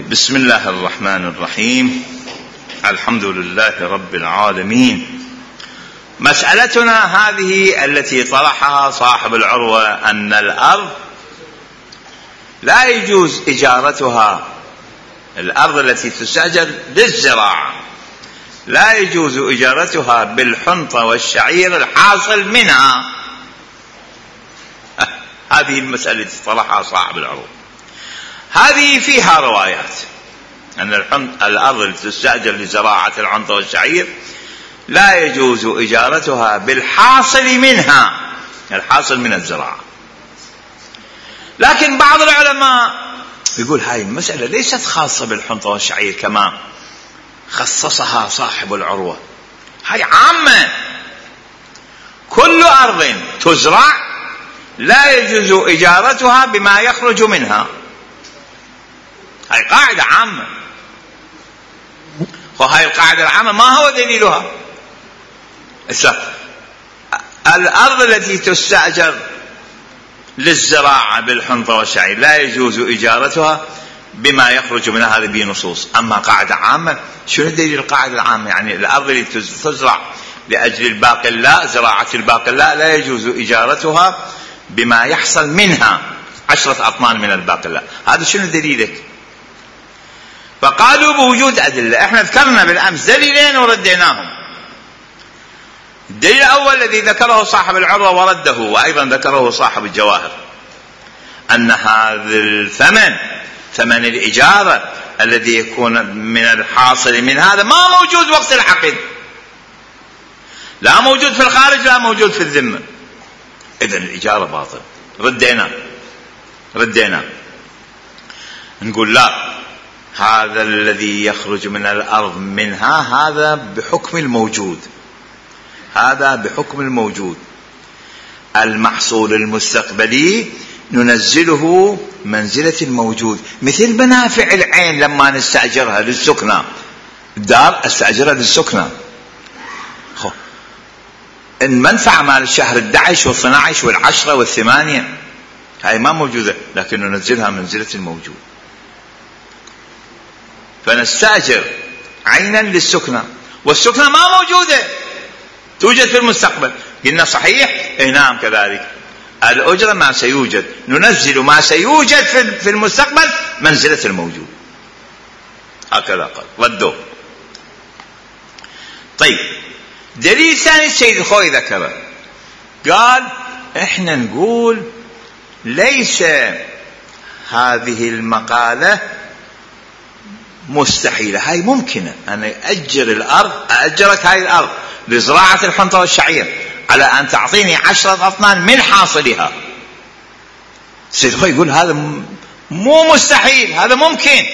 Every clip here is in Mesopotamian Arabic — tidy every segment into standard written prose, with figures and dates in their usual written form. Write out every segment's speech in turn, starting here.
بسم الله الرحمن الرحيم. الحمد لله رب العالمين. مسألتنا هذه التي طرحها صاحب العروة أن الأرض لا يجوز إجارتها، الأرض التي تستأجر للزراعة لا يجوز إجارتها بالحنطة والشعير الحاصل منها. هذه المسألة التي طرحها صاحب العروة. هذه فيها روايات أن الأرض التي تستأجر لزراعة الحنطة والشعير لا يجوز إجارتها بالحاصل منها، الحاصل من الزراعة. لكن بعض العلماء يقول هاي المسألة ليست خاصة بالحنطة والشعير كما خصصها صاحب العروة، هاي عامة، كل أرض تزرع لا يجوز إجارتها بما يخرج منها. هاي قاعدة عامة، وهاي القاعدة العامة ما هو دليلها؟ الأرض التي تستأجر للزراعة بالحنطة والشعير لا يجوز إجارتها بما يخرج منها، هذه بنصوص. أما قاعدة عامة، شنو دليل القاعدة العامة؟ يعني الأرض التي تزرع لأجل الباقلاء، زراعة الباقلاء، لا يجوز إجارتها بما يحصل منها 10 أطنان من الباقلاء. هذا شنو دليلك؟ فقالوا بوجود أدلة. احنا ذكرنا بالأمس دليلين ورديناهم. الدليل الأول الذي ذكره صاحب العروة ورده، وأيضا ذكره صاحب الجواهر، أن هذا الثمن، ثمن الإجارة الذي يكون من الحاصل من هذا، ما موجود وقت العقد، لا موجود في الخارج لا موجود في الذمة، إذن الإجارة باطل. ردينا نقول لا، هذا الذي يخرج من الأرض منها هذا بحكم الموجود، هذا بحكم الموجود. المحصول المستقبلي ننزله منزلة الموجود، مثل منافع العين لما نستأجرها للسكنة، الدار استأجرها للسكنة، المنفعة مال الشهر 11 و12 و10 و8 هاي ما موجودة، لكن ننزلها منزلة الموجود. فنستأجر عينا للسكنة، والسكنة ما موجودة، توجد في المستقبل. قلنا صحيح؟ نعم كذلك. الأجرة ما سيوجد، ننزل ما سيوجد في المستقبل منزلة الموجود. هكذا قال، ردوا. طيب، دليل ثاني السيد الخوي ذكره، قال احنا نقول ليس هذه المقالة مستحيلة، هاي ممكنة. أنا أجرك هاي الأرض لزراعة الحنطة والشعير على أن تعطيني 10 أطنان من حاصلها. السيد الخوي يقول هذا مو مستحيل، هذا ممكن،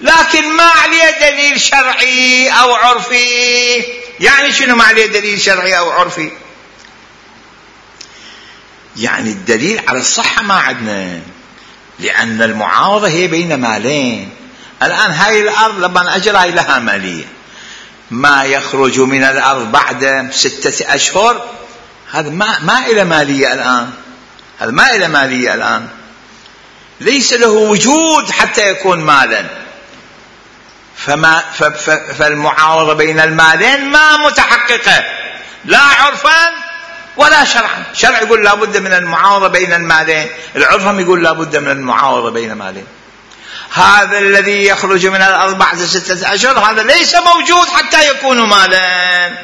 لكن ما عليه دليل شرعي أو عرفي. يعني شنو ما عليه دليل شرعي أو عرفي؟ يعني الدليل على الصحة ما عندنا، لأن المعاوضة هي بين مالين. الآن هاي الأرض لما أجرها لها مالية، ما يخرج من الأرض بعد 6 أشهر هذا ما إلى مالية الآن، هذا ما إلى مالية الآن، ليس له وجود حتى يكون مالا. فالمعاوضة بين المالين ما متحققة، لا عرفا ولا شرعا. شرع يقول لا بد من المعاوضة بين المالين، العرفهم يقول لا بد من المعاوضة بين مالين. هذا الذي يخرج من الأرض بعد 6 أشهر هذا ليس موجود حتى يكون مالا.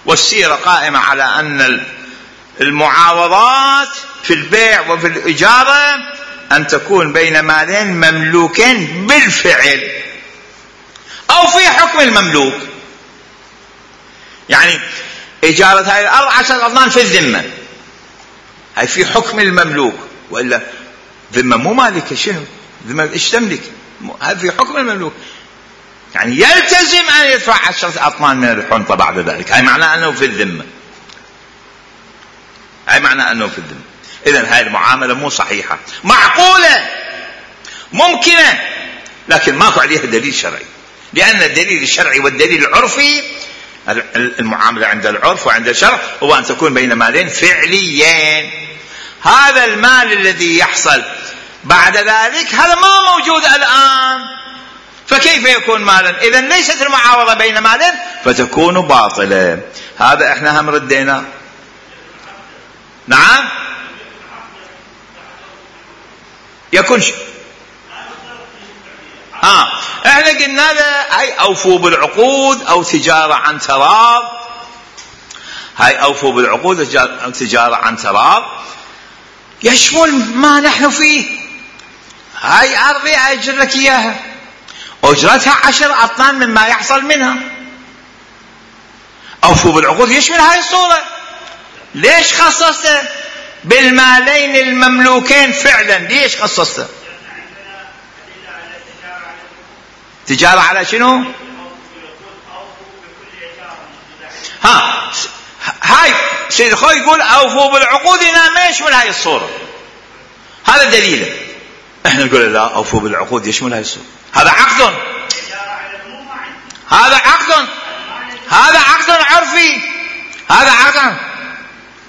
والسيرة قائمة على أن المعاوضات في البيع وفي الإجارة أن تكون بين مالين مملوكين بالفعل أو في حكم المملوك. يعني إجارة هاي الأرض 10 أطنان في الذمة، هاي في حكم المملوك، وإلا ذمة مو مالكة، شنو ذمة إيش تملك؟ هذا في حكم المملوك، يعني يلتزم أن يدفع 10 أطنان من الحنطة بعد ذلك. هاي معناه أنه في الذمة، هاي معناه أنه في الذمة. إذن هاي المعاملة مو صحيحة، معقولة ممكنة، لكن ماكو عليها دليل شرعي، لأن الدليل الشرعي والدليل العرفي، المعاملة عند العرف وعند الشرع هو أن تكون بين مالين فعليين. هذا المال الذي يحصل بعد ذلك هذا ما موجود الآن، فكيف يكون مالا؟ إذا ليست المعاوضة بين مالين فتكون باطلة. هذا احنا هم ردينا. نعم يكون احنا قلنا له اي اوفوا بالعقود او تجارة عن تراض، هاي اوفوا بالعقود او تجارة عن تراض يشمل ما نحن فيه. هاي ارضي اجر لك اياها، اجرتها 10 اطنان مما يحصل منها. اوفوا بالعقود يشمل هاي الصورة. ليش خصصته بالمالين المملوكين فعلا؟ ليش خصصته؟ تجارة على شنو؟ هاي سيد خوي يقول اوفوا بالعقود، هنا ما يشمل هاي الصورة. هذا دليله. احنا نقول لا، اوفوا بالعقود يشمل هاي الصورة. هذا عقد، هذا عقد، هذا عقد عرفي، هذا عقد.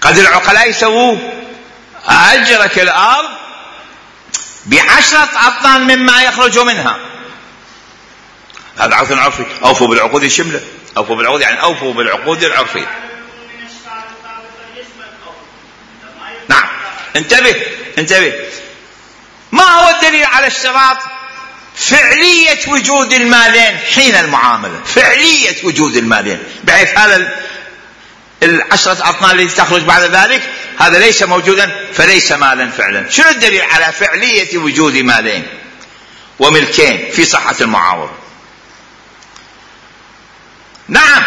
قد العقلاء يسووه، اجرك الارض ب10 اطنان مما يخرج منها، هذا عقد عرفي. اوفوا بالعقود يشمله. اوفوا بالعقود يعني اوفوا بالعقود العرفية. نعم انتبه. ما هو الدليل على اشتراط فعلية وجود المالين حين المعاملة؟ فعلية وجود المالين بحيث هذا 10 أطنان التي تخرج بعد ذلك هذا ليس موجودا فليس مالا فعلا. شنو الدليل على فعلية وجود مالين وملكين في صحة المعاوضة؟ نعم،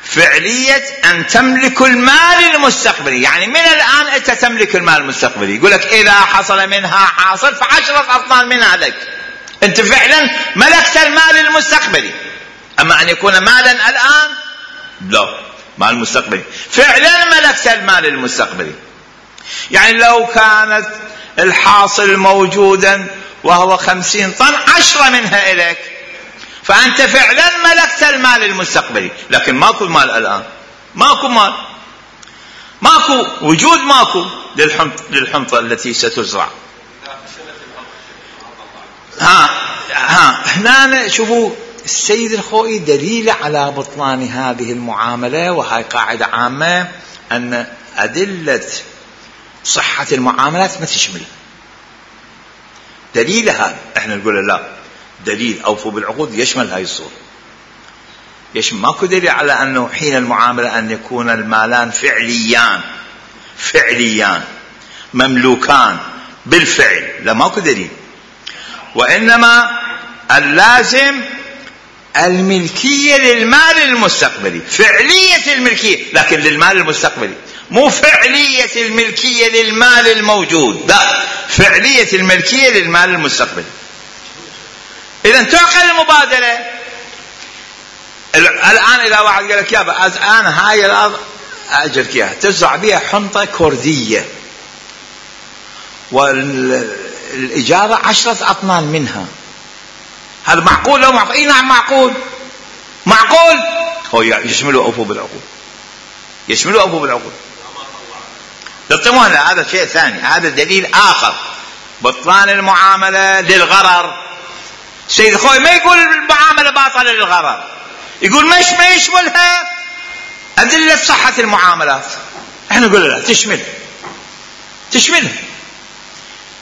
فعلية أن تملك المال المستقبلي. يعني من الآن أنت تملك المال المستقبلي. يقول لك إذا حصل منها حاصل ف10 أطنان منها لك، أنت فعلا ملكت المال المستقبلي. أما أن يكون مالا الآن لا، مال مستقبلي. فعلا ملكت المال المستقبلي. يعني لو كانت الحاصل موجودا وهو 50 طن 10 منها إليك، فأنت فعلا ملكت المال المستقبلي. لكن ماكو مال الآن، ماكو مال، ماكو وجود، ماكو للحنطة التي ستزرع. هنا شوفوا السيد الخوئي دليل على بطلان هذه المعاملة، وهي قاعدة عامة أن أدلة صحة المعاملات ما تشمل دليلها. احنا نقول لا، دليل اوفوا بالعقود يشمل هاي الصورة، يشمل. ماكو دليل على انه حين المعاملة ان يكون المالان فعليان مملوكان بالفعل، لا ماكو دليل. وانما اللازم الملكية للمال المستقبلي، فعلية الملكية لكن للمال المستقبلي، مو فعلية الملكية للمال الموجود، لا، فعلية الملكية للمال المستقبلي. إذا تعقل المبادلة. الآن إذا واحد قال لك يابا أنا هاي الأرض أجرك إياها تزرع بها حنطة كردية والإجارة 10 أطنان منها، هذا معقول لو معقول؟ إيه نعم معقول. هو يشملوا أوفوا بالعقود، يشملوا أوفوا بالعقود. لا، هذا شيء ثاني، هذا دليل آخر. بطلان المعاملة للغرر. سيد خوي ما يقول المعاملة باطلة للغرر، يقول ما يشملها أدلة صحة المعاملات. احنا نقول لا، تشملها.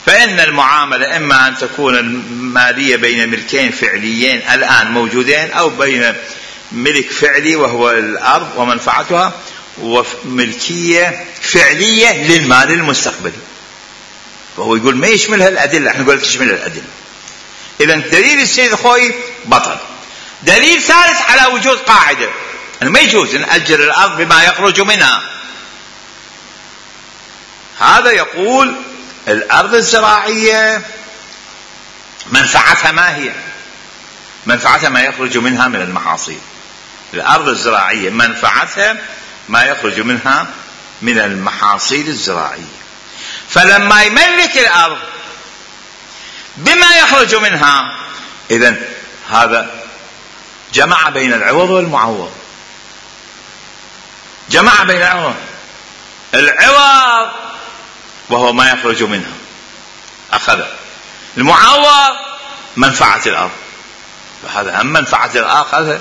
فإن المعاملة إما أن تكون المالية بين ملكين فعليين الآن موجودين، أو بين ملك فعلي وهو الأرض ومنفعتها، وملكية فعلية للمال المستقبلي. فهو يقول ما يشملها الأدلة، احنا نقول تشملها الأدلة. إذن دليل السيد خوي بطل. دليل ثالث على وجود قاعدة أنه ما يجوز نأجر الأرض بما يخرج منها. هذا يقول الأرض الزراعية منفعتها ما هي؟ منفعتها ما يخرج منها من المحاصيل. الأرض الزراعية منفعتها ما يخرج منها من المحاصيل الزراعية. فلما يملك الأرض بما يخرج منها، إذن هذا جمع بين العوض والمعوض، جمع بين العوض وهو ما يخرج منها أخذ، المعوض منفعة الأرض، فهذا هم منفعة الآخر،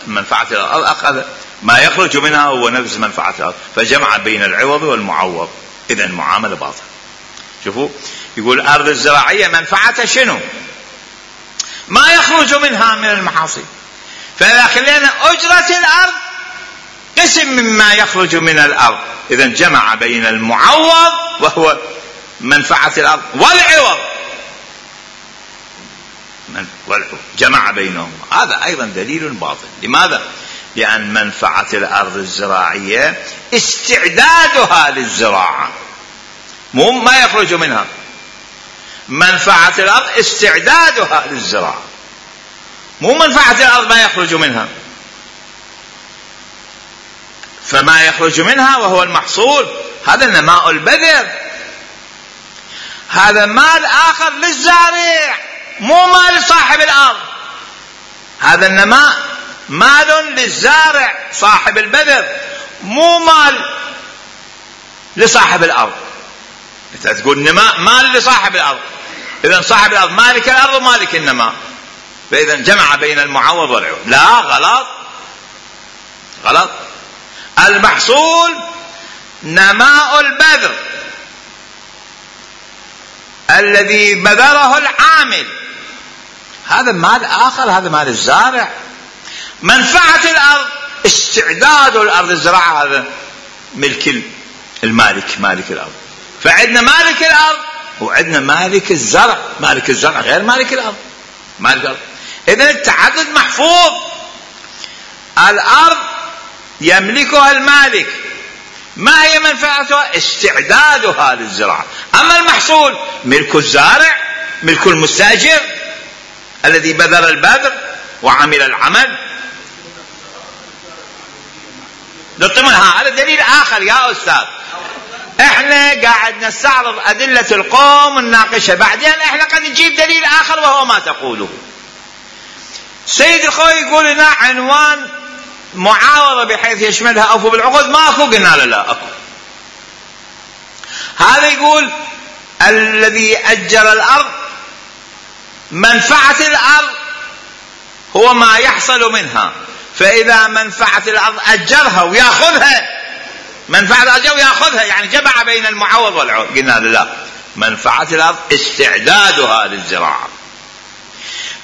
منفعة الأرض أخذ ما يخرج منها هو نفس منفعة الأرض، فجمع بين العوض والمعوض، إذن المعاملة باطلة. شوفوا يقول الأرض الزراعية منفعتها شنو؟ ما يخرج منها من المحاصيل، فإذا خلينا أجرة الأرض قسم مما يخرج من الأرض، إذن جمع بين المعوض وهو منفعة الأرض والعوض، جمع بينهم. هذا أيضا دليل باطل. لماذا؟ لأن منفعة الأرض الزراعية استعدادها للزراعة، مو ما يخرج منها. منفعة الأرض استعدادها للزراعة، مو منفعة الأرض ما يخرج منها. فما يخرج منها وهو المحصول هذا نماء البذر، هذا مال آخر للزارع، مو مال صاحب الأرض. هذا النماء مال للزارع صاحب البذر، مو مال لصاحب الأرض. انت تقول نماء مال لصاحب الأرض، إذن صاحب الأرض مالك الأرض ومالك النماء، فإذا جمع بين المعوض والعوض. لا، غلط. المحصول نماء البذر الذي بذره العامل، هذا مال آخر، هذا مال الزارع. منفعة الأرض استعداد الأرض الزراعة، هذا ملك المالك، مالك الأرض. فعندنا مالك الأرض وعندنا مالك الزرع، مالك الزرع غير مالك الأرض، مالك الأرض. إذن التعدد محفوظ. الأرض يملكها المالك، ما هي منفعتها؟ استعدادها للزراعة. أما المحصول ملك الزارع، ملك المستأجر الذي بذر البذر وعمل العمل. هذا دليل آخر يا أستاذ. احنا قاعد نستعرض أدلة القوم ونناقشها، بعدين احنا قد نجيب دليل آخر وهو ما تقوله. سيد الخوي يقول لنا عنوان معاوضة بحيث يشملها أوفوا بالعقود، ما أكو. قلنا لا أكو. هذا يقول الذي أجر الأرض منفعة الأرض هو ما يحصل منها، فإذا منفعة الأرض أجرها ويأخذها، منفعة الأرض ويأخذها، يعني جمع بين المعوض والعوض. قلنا لا، منفعة الأرض استعدادها للزراعة،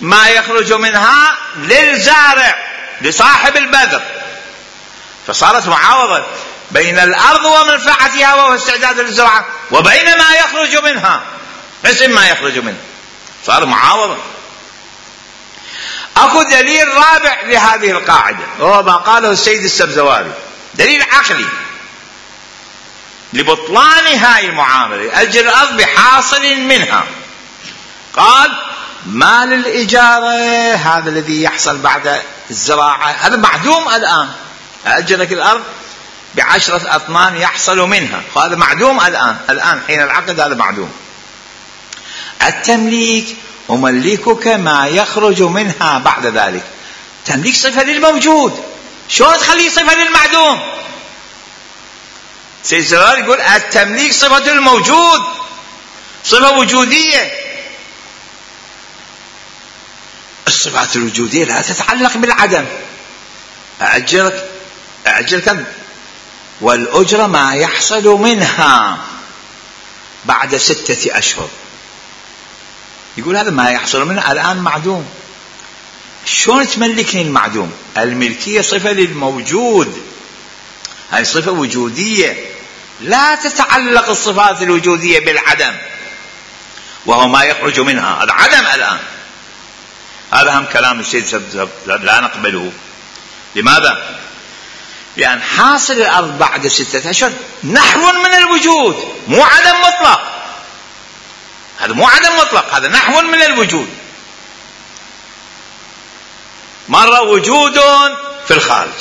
ما يخرج منها للزارع لصاحب البذر، فصارت معاوضة بين الأرض ومنفعتها وهو استعداد للزراعة، وبين ما يخرج منها، قسم ما يخرج منها، صار معاوضة. أكو دليل رابع لهذه القاعدة وهو ما قاله السيد السبزواري، دليل عقلي لبطلان هاي المعاملة، أجر الأرض بحاصل منها. قال مال الإجارة هذا الذي يحصل بعد الزراعة هذا معدوم الآن، أجرك الأرض ب10 أطنان يحصل منها، هذا معدوم الآن حين العقد، هذا معدوم. التمليك أملكك ما يخرج منها بعد ذلك. تمليك صفة للموجود، شلون تخليه صفة للمعدوم؟ سيد سرار يقول التمليك صفة الموجود، صفة وجودية. الصفات الوجودية لا تتعلق بالعدم. أأجرك والأجرة ما يحصل منها بعد 6 أشهر. يقول هذا ما يحصل منها الآن معدوم، شلون تملكني المعدوم؟ الملكية صفة للموجود، هذه صفة وجودية، لا تتعلق الصفات الوجودية بالعدم وهو ما يخرج منها، هذا عدم الآن. هذا هم كلام السيد لا نقبله. لماذا؟ لأن حاصل الأرض بعد 6 أشهر نحو من الوجود، مو عدم مطلق. هذا مو عدم مطلق، هذا نحو من الوجود. مرة وجود في الخارج،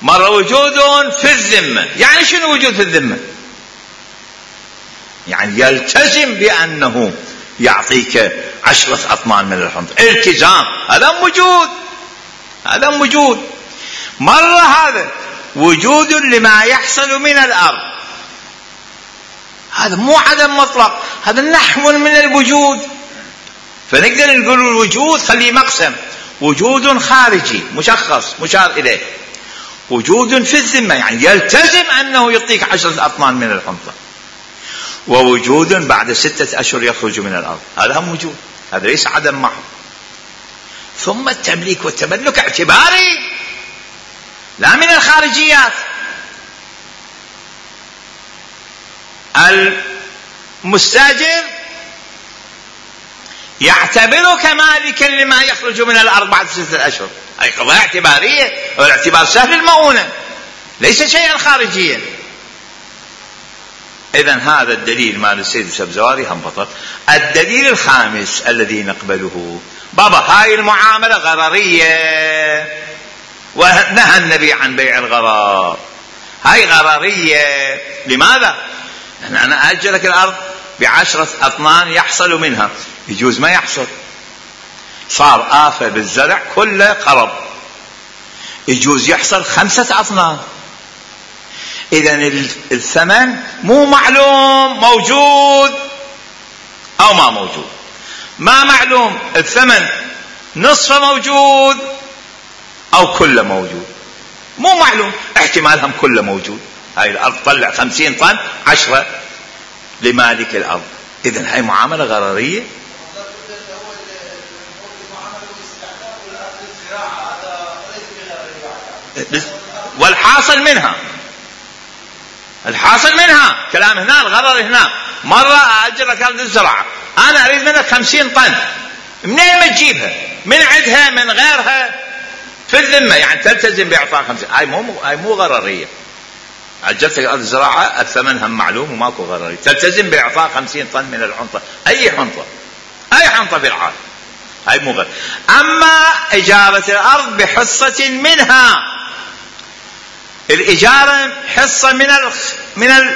مرة وجود في الذمة. يعني شنو وجود في الذمة؟ يعني يلتزم بأنه يعطيك 10 أطنان من الحنطة، التزام، هذا موجود. مرة هذا وجود لما يحصل من الأرض، هذا مو عدم مطلق، هذا نحو من الوجود. فنقدر نقول الوجود خليه مقسم: وجود خارجي مشخص مشار إليه، وجود في الذمة يعني يلتزم أنه يعطيك 10 أطنان من الحنطة، ووجود بعد 6 أشهر يخرج من الأرض. هذا هم وجود، هذا ليس عدم محض. ثم التمليك والتملك اعتباري لا من الخارجيات. المستاجر يعتبرك مالكا لما يخرج من الأرض بعد 6 أشهر، أي قضايا اعتبارية، والاعتبار سهل المؤونة ليس شيئا خارجيا. إذن هذا الدليل مال السيد السبزواري هم بطل. الدليل الخامس الذي نقبله: بابا هاي المعاملة غررية، ونهى النبي عن بيع الغرار. هاي غررية. لماذا؟ أنا أجلك الأرض ب10 أطنان يحصل منها، يجوز ما يحصل، صار آفة بالزرع كله قرب، يجوز يحصل 5 أطنان. إذن الثمن مو معلوم، موجود أو ما موجود. ما معلوم الثمن نصفه موجود أو كله موجود، مو معلوم، احتمالهم كله موجود. هاي الأرض طلع 50 طن 10 لمالك الأرض. إذن هاي معاملة غررية. والحاصل منها، الحاصل منها كلام هنا الغرر هنا. مرة أجرك أرض الزراعة، أنا أريد منك 50 طن، منين ما تجيبها؟ من عندها من غيرها في الذمة، يعني تلتزم بإعطاء 50. هاي مو غررية. أجرتك أرض الزراعة الثمن هم معلوم وماكو غررية، تلتزم بإعطاء 50 طن من الحنطة، أي حنطة، أي حنطة في العالم، هاي مو غرر. أما إجارة الأرض بحصة منها، الإجارة حصة من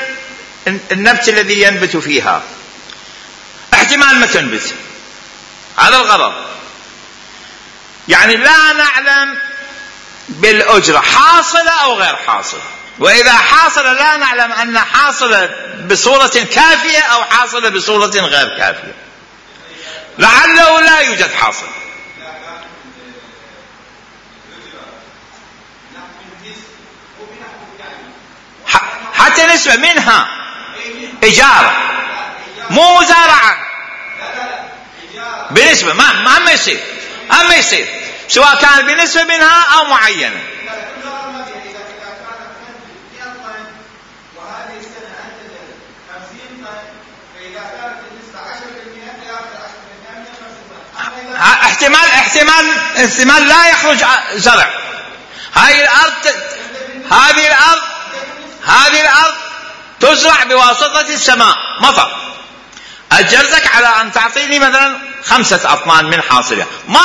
النبت الذي ينبت فيها، احتمال ما تنبت، هذا الغرض. يعني لا نعلم بالأجرة حاصلة أو غير حاصلة، وإذا حاصلة لا نعلم أن حاصلة بصورة كافية أو حاصلة بصورة غير كافية، لعله لا يوجد حاصل. حتى نسبة منها إجارة مو مزارعة، بنسبة ما يصير، أما يصير سواء كان بنسبة منها أو معينة. احتمال لا يخرج زرع. هذه الأرض تزرع بواسطة السماء، مطر. أجرتك على أن تعطيني مثلا 5 أطنان من حاصلها، ما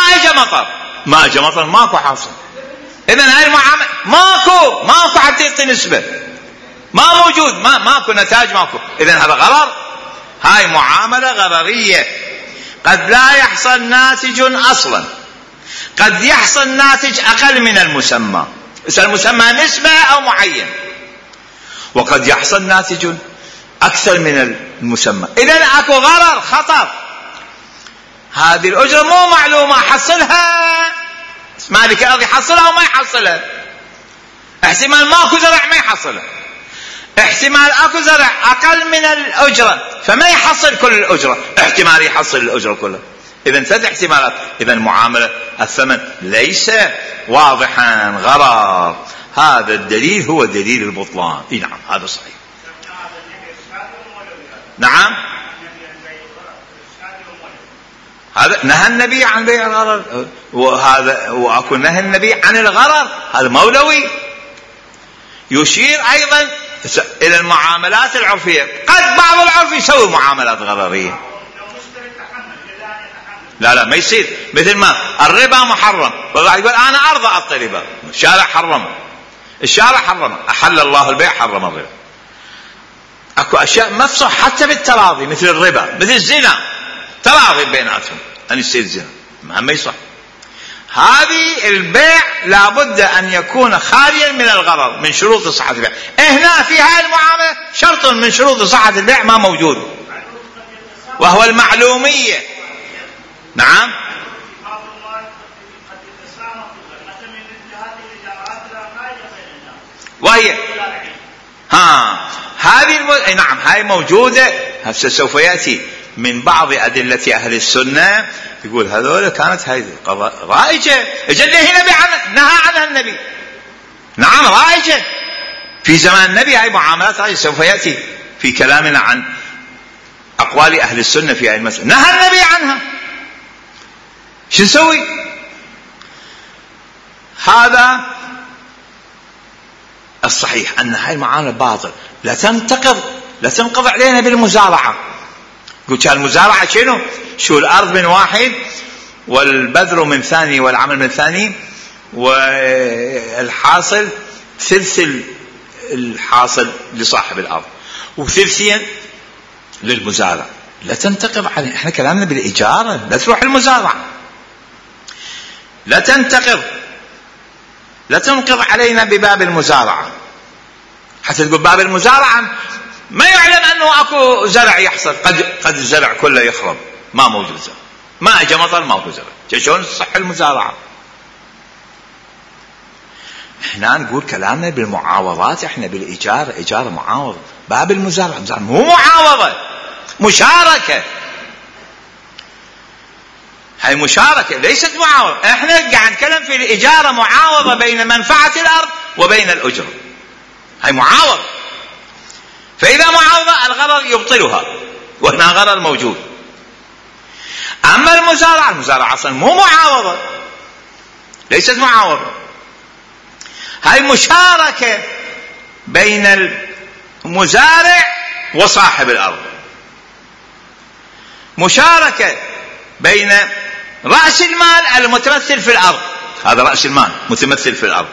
أجى مطر ماكو حاصل. إذن هاي المعاملة ماكو حتى يعطي نسبة، ما موجود، ماكو نتاج، ماكو. إذن هذا غرر، هاي معاملة غررية. قد لا يحصل ناتج أصلا، قد يحصل ناتج أقل من المسمى، المسمى نسبة أو معين، وقد يحصل ناتج أكثر من المسمى. إذن أكو غرر، خطر. هذه الأجرة مو معلومة، حصلها مالك الأرض يحصلها أو ما يحصلها. احتمال ماكو زرع ما يحصلها، احتمال أكو زرع أقل من الأجرة فما يحصل كل الأجرة، احتمال يحصل الأجرة كلها. إذن 3 احتمالات. إذن معاملة الثمن ليس واضحا، غرر. هذا الدليل هو دليل البطلان. نعم هذا صحيح. نعم هذا نهى النبي عن بيع الغرر، وأكو نهى النبي عن الغرر، هذا مولوي. يشير أيضا إلى المعاملات العرفية. قد بعض العرف يسوي معاملات غررية، لا ما يصير. مثل ما الربا محرم، والله يقول أنا أرضى أعطي ربا، الشارع حرمه، أحل الله البيع حرم الربا. أكو أشياء مفصح حتى بالتراضي، مثل الربا، مثل الزنا، تراضي بيناتهم أن يصير زنا، ما يصح. هذه البيع لابد أن يكون خاليا من الغرر، من شروط صحة البيع. هنا في هذه المعاملة شرط من شروط صحة البيع ما موجود. وهو المعلومية. نعم. وهي هذه نعم هاي موجودة. هسه سوف يأتي من بعض أدلة أهل السنة يقول هذول كانت هاي رائجة، اجى النبي نهى عنها النبي. نعم رائجة في زمان النبي، هاي معاملات رائجة. سوف يأتي في كلامنا عن أقوال أهل السنة في هذه المسألة. نهى النبي عنها، شو نسوي؟ هذا الصحيح أن هاي المعاملة باطل، لا تنقض علينا بالمزارعة. قلت المزارعة شنو؟ شو الأرض من واحد والبذر من ثاني والعمل من ثاني، والحاصل ثلث الحاصل لصاحب الأرض وثلثين للمزارع. لا تنتقض علينا، احنا كلامنا بالإجارة، لا تروح المزارعة، لا تنقض علينا بباب المزارعة. حتى تقول باب المزارعة ما يعلم أنه أكو زرع يحصل، قد الزرع كله يخرب، ما موجود زرع، ما أجا مطر، ما أكو زرع، شلون صح المزارعة؟ احنا نقول كلامنا بالمعاوضات، احنا بالإجارة، إجارة معاوضة. باب المزارعة مو معاوضة، مشاركة. هاي مشاركة ليست معاوضة. احنا قاعد نتكلم في الإجارة معاوضة بين منفعة الأرض وبين الأجرة، هاي معاوضة. فإذا معاوضة الغرر يبطلها، وهنا غرر موجود. أما المزارعة أصلا مو معاوضة، ليست معاوضة، هاي مشاركة بين المزارع وصاحب الأرض، مشاركة بين رأس المال المتمثل في الأرض، هذا رأس المال متمثل في الأرض،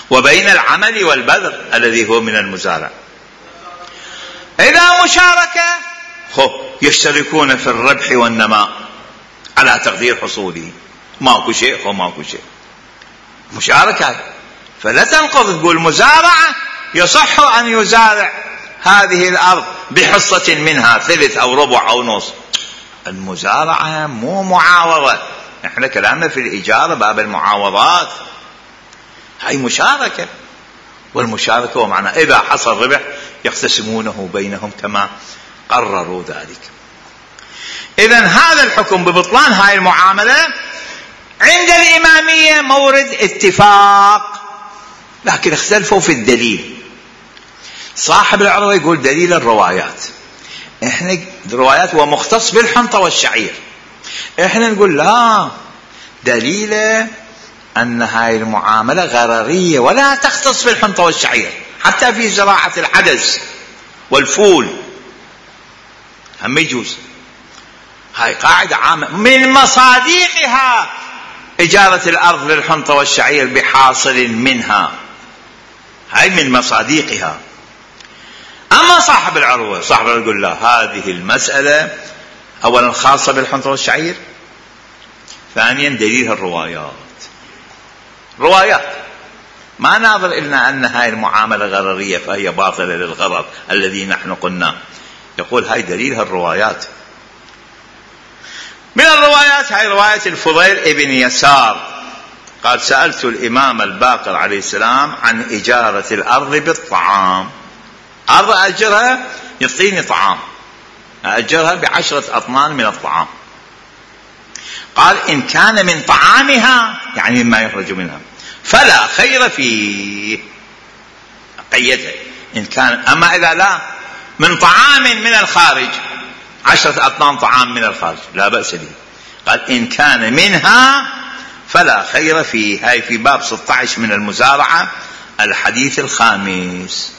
وبين العمل والبذر الذي هو من المزارع. إذا مشاركة يشتركون في الربح والنماء على تقدير حصوله، ماكو شيء وماكو شيء، مشاركة. فلا تنقض تقول مزارعة يصح أن يزارع هذه الأرض بحصة منها ثلث أو ربع أو نص. المزارعة مو معاوضة، احنا كلامنا في الإجارة باب المعاوضات، هاي مشاركة. والمشاركة ومعنى إذا حصل ربح يقتسمونه بينهم كما قرروا ذلك. إذن هذا الحكم ببطلان هاي المعاملة عند الإمامية مورد اتفاق، لكن اختلفوا في الدليل. صاحب العروة يقول دليل الروايات، احنا الروايات هو مختص بالحنطة والشعير، احنا نقول لا، دليل أن هاي المعاملة غررية ولا تختص بالحنطة والشعير، حتى في زراعة العدس والفول هم يجوز. هاي قاعدة عامة من مصاديقها إجارة الأرض للحنطة والشعير بحاصل منها، هاي من مصاديقها. أما صاحب العروة يقول لا، هذه المسألة أولا خاصة بالحنطة والشعير، ثانيا دليلها روايات ما ناظر إلنا أن هاي المعاملة غررية فهي باطلة للغرر الذي نحن قلنا. يقول هاي دليلها الروايات. من الروايات هاي رواية الفضيل ابن يسار قال سألت الإمام الباقر عليه السلام عن إجارة الأرض بالطعام، أرض أجرها يعطيني طعام، أجرها ب10 أطنان من الطعام. قال إن كان من طعامها يعني مما يخرج منها فلا خير فيه، قيدها إن كان. أما إذا لا من طعام من الخارج 10 أطنان طعام من الخارج لا بأس به. قال إن كان منها فلا خير فيه. هاي في باب 16 من المزارعة الحديث الخامس.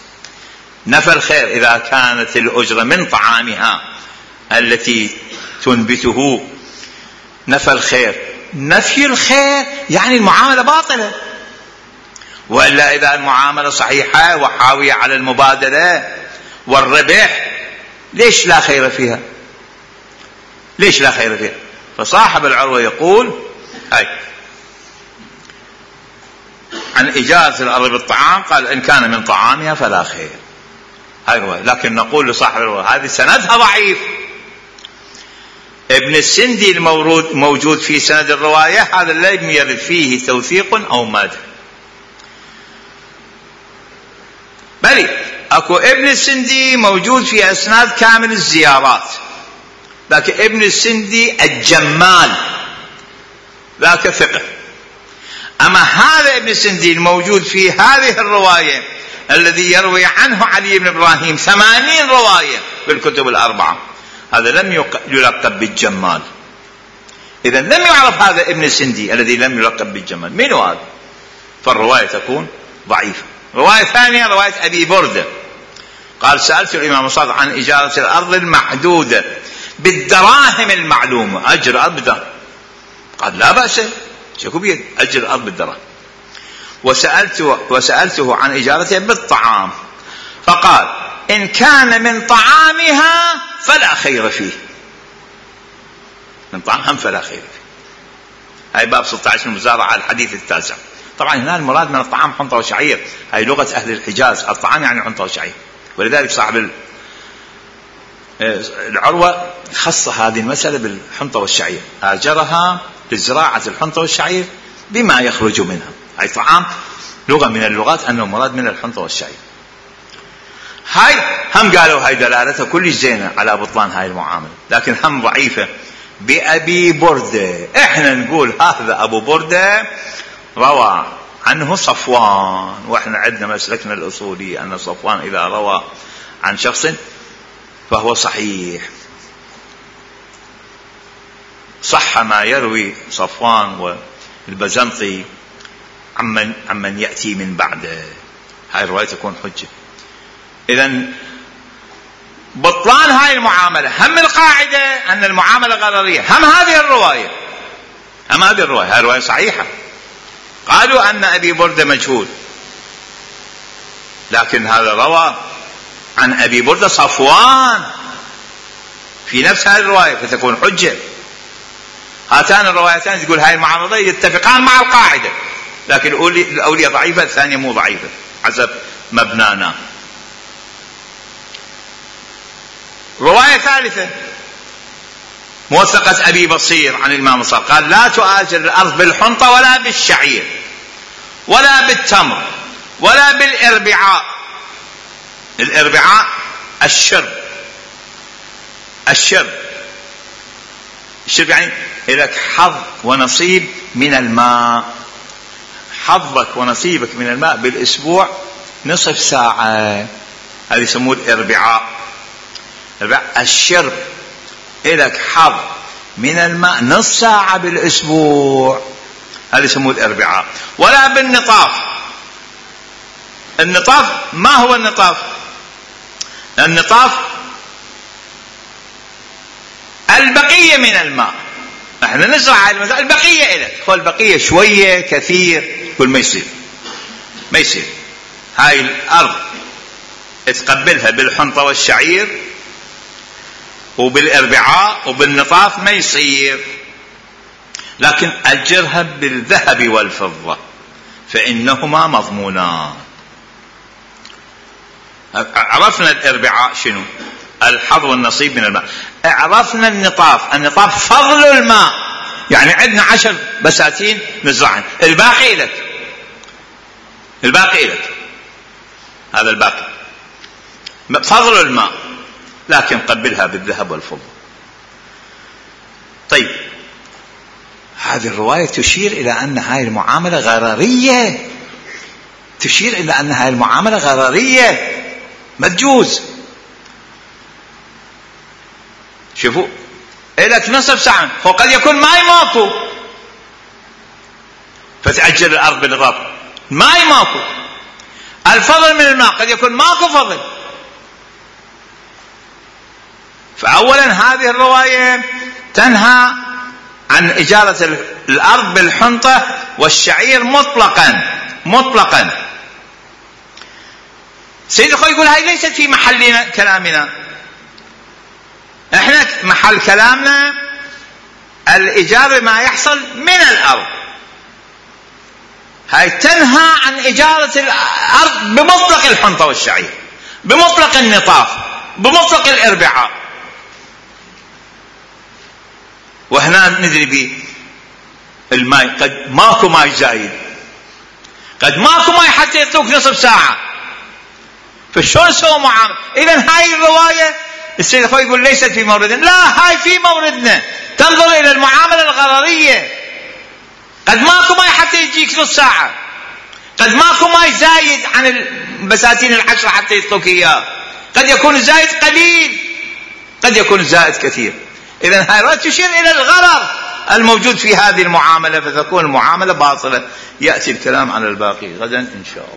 نفى الخير إذا كانت الأجرة من طعامها التي تنبته، نفى الخير. نفي الخير يعني المعاملة باطلة، وإلا إذا المعاملة صحيحة وحاوية على المبادلة والربح ليش لا خير فيها؟ ليش لا خير فيها؟ فصاحب العروة يقول هاي عن إجازة الأرض بالطعام، قال إن كان من طعامها فلا خير. هاي هو. لكن نقول لصاحب العروة هذه سندها ضعيف، ابن السندي موجود في سند الرواية، هذا لم يرد فيه توثيق أو مدح. بل اكو ابن السندي موجود في اسناد كامل الزيارات، لكن ابن السندي الجمال ذاك ثقة. اما هذا ابن السندي الموجود في هذه الرواية الذي يروي عنه علي بن ابراهيم 80 رواية بالكتب الأربعة، هذا لم يلقب بالجمال. اذا لم يعرف هذا ابن السندي الذي لم يلقب بالجمال، من هذا؟ فالرواية تكون ضعيفة. رواية ثانية رواية أبي بردة قال سألت الإمام الصادق عن إجارة الأرض المحدودة بالدراهم المعلومة، أجر الأرض بالدراهم. قال لا بأس، شكو بيد أجر الأرض بالدراهم. وسألته عن إجارتها بالطعام، فقال إن كان من طعامها فلا خير فيه، من طعامها فلا خير فيه. هاي باب 16 المزارعة الحديث التاسع. طبعا هنا المراد من الطعام حنطة وشعير، هاي لغة أهل الحجاز، الطعام يعني حنطة وشعير. ولذلك صاحب العروة خص هذه المسألة بالحنطة والشعير، آجرها لزراعة الحنطة والشعير بما يخرج منها. هاي طعام لغة من اللغات أنه مراد من الحنطة والشعير. هاي هم قالوا هاي دلالتها كل زينة على بطلان هاي المعاملة، لكن هم ضعيفة. بأبي بردة، احنا نقول هذا أبو بردة روى عنه صفوان، واحنا عندنا مسلكنا الأصولي أن صفوان إذا روى عن شخص فهو صحيح، صح ما يروي صفوان والبزنطي عمن يأتي من بعده، هاي الرواية تكون حجة. إذن بطلان هاي المعاملة هم القاعدة أن المعاملة غررية، هم هذه الرواية، هاي الرواية صحيحة. قالوا أن أبي بردة مجهول، لكن هذا روى عن أبي بردة صفوان في نفس هذه الرواية فتكون حجة. هاتان الروايتان تقول هاي المعاملة يتفقان مع القاعدة، لكن الأولية ضعيفة، الثانية مو ضعيفة حسب مبنانا. رواية ثالثة موثقة أبي بصير عن الإمام الصادق قال لا تؤاجر الأرض بالحنطة ولا بالشعير ولا بالتمر ولا بالإربعاء. الإربعاء الشرب يعني لك حظ ونصيب من الماء، حظك ونصيبك من الماء بالأسبوع نصف ساعة، هذا يسموه الإربعاء. الشرب لك حظ من الماء نصف ساعة بالأسبوع، هذا يسموه الإربعاء. ولا بالنطاف. النطاف ما هو النطاف؟ النطاف البقية من الماء، احنا نزرع البقية إلك، هو البقية شوية كثير كل ما يصير هاي الأرض تقبلها بالحنطة والشعير وبالإربعاء وبالنطاف ما يصير، لكن أجرها بالذهب والفضة فإنهما مضمونان. عرفنا الإربعاء شنو؟ الحظ والنصيب من الماء. عرفنا النطاف فضل الماء، يعني عندنا 10 بساتين نزرعن، الباقي لك، هذا الباقي فضل الماء، لكن قبلها بالذهب والفضة. طيب هذه الرواية تشير إلى أن هاي المعاملة غررية، ما تجوز. شوفوا إلك نصف ساعة، وقد يكون ماي ماكو فتأجل الأرض بالنطاف، ماي ماكو، الفضل من الماء قد يكون ماكو فضل. فأولا هذه الرواية تنهى عن إجارة الأرض بالحنطة والشعير مطلقا. سيد الخوي يقول هاي ليست في محل كلامنا، احنا محل كلامنا الإجارة ما يحصل من الأرض. هاي تنهى عن إجارة الأرض بمطلق الحنطة والشعير، بمطلق النطاف، بمطلق الإربعاء. وهنا ندري بالماء قد ماكو ماء زايد، قد ماكو ماء حتى يعطوك نصف ساعة، فشلون نسوي معاملة؟ إذا هاي الرواية السيد الخوي يقول ليست في موردنا، لا هاي في موردنا، تنظر إلى المعاملة الغررية. قد ماكو ماء حتى يجيك نص ساعة، قد ماكو ماء زايد عن البساتين 10 حتى يعطوك إياه، قد يكون الزائد قليل، قد يكون الزائد كثير. إذا هاي الرواية تشير إلى الغرر الموجود في هذه المعاملة، فتكون المعاملة باطلة. يأتي الكلام على الباقي غدا إن شاء الله.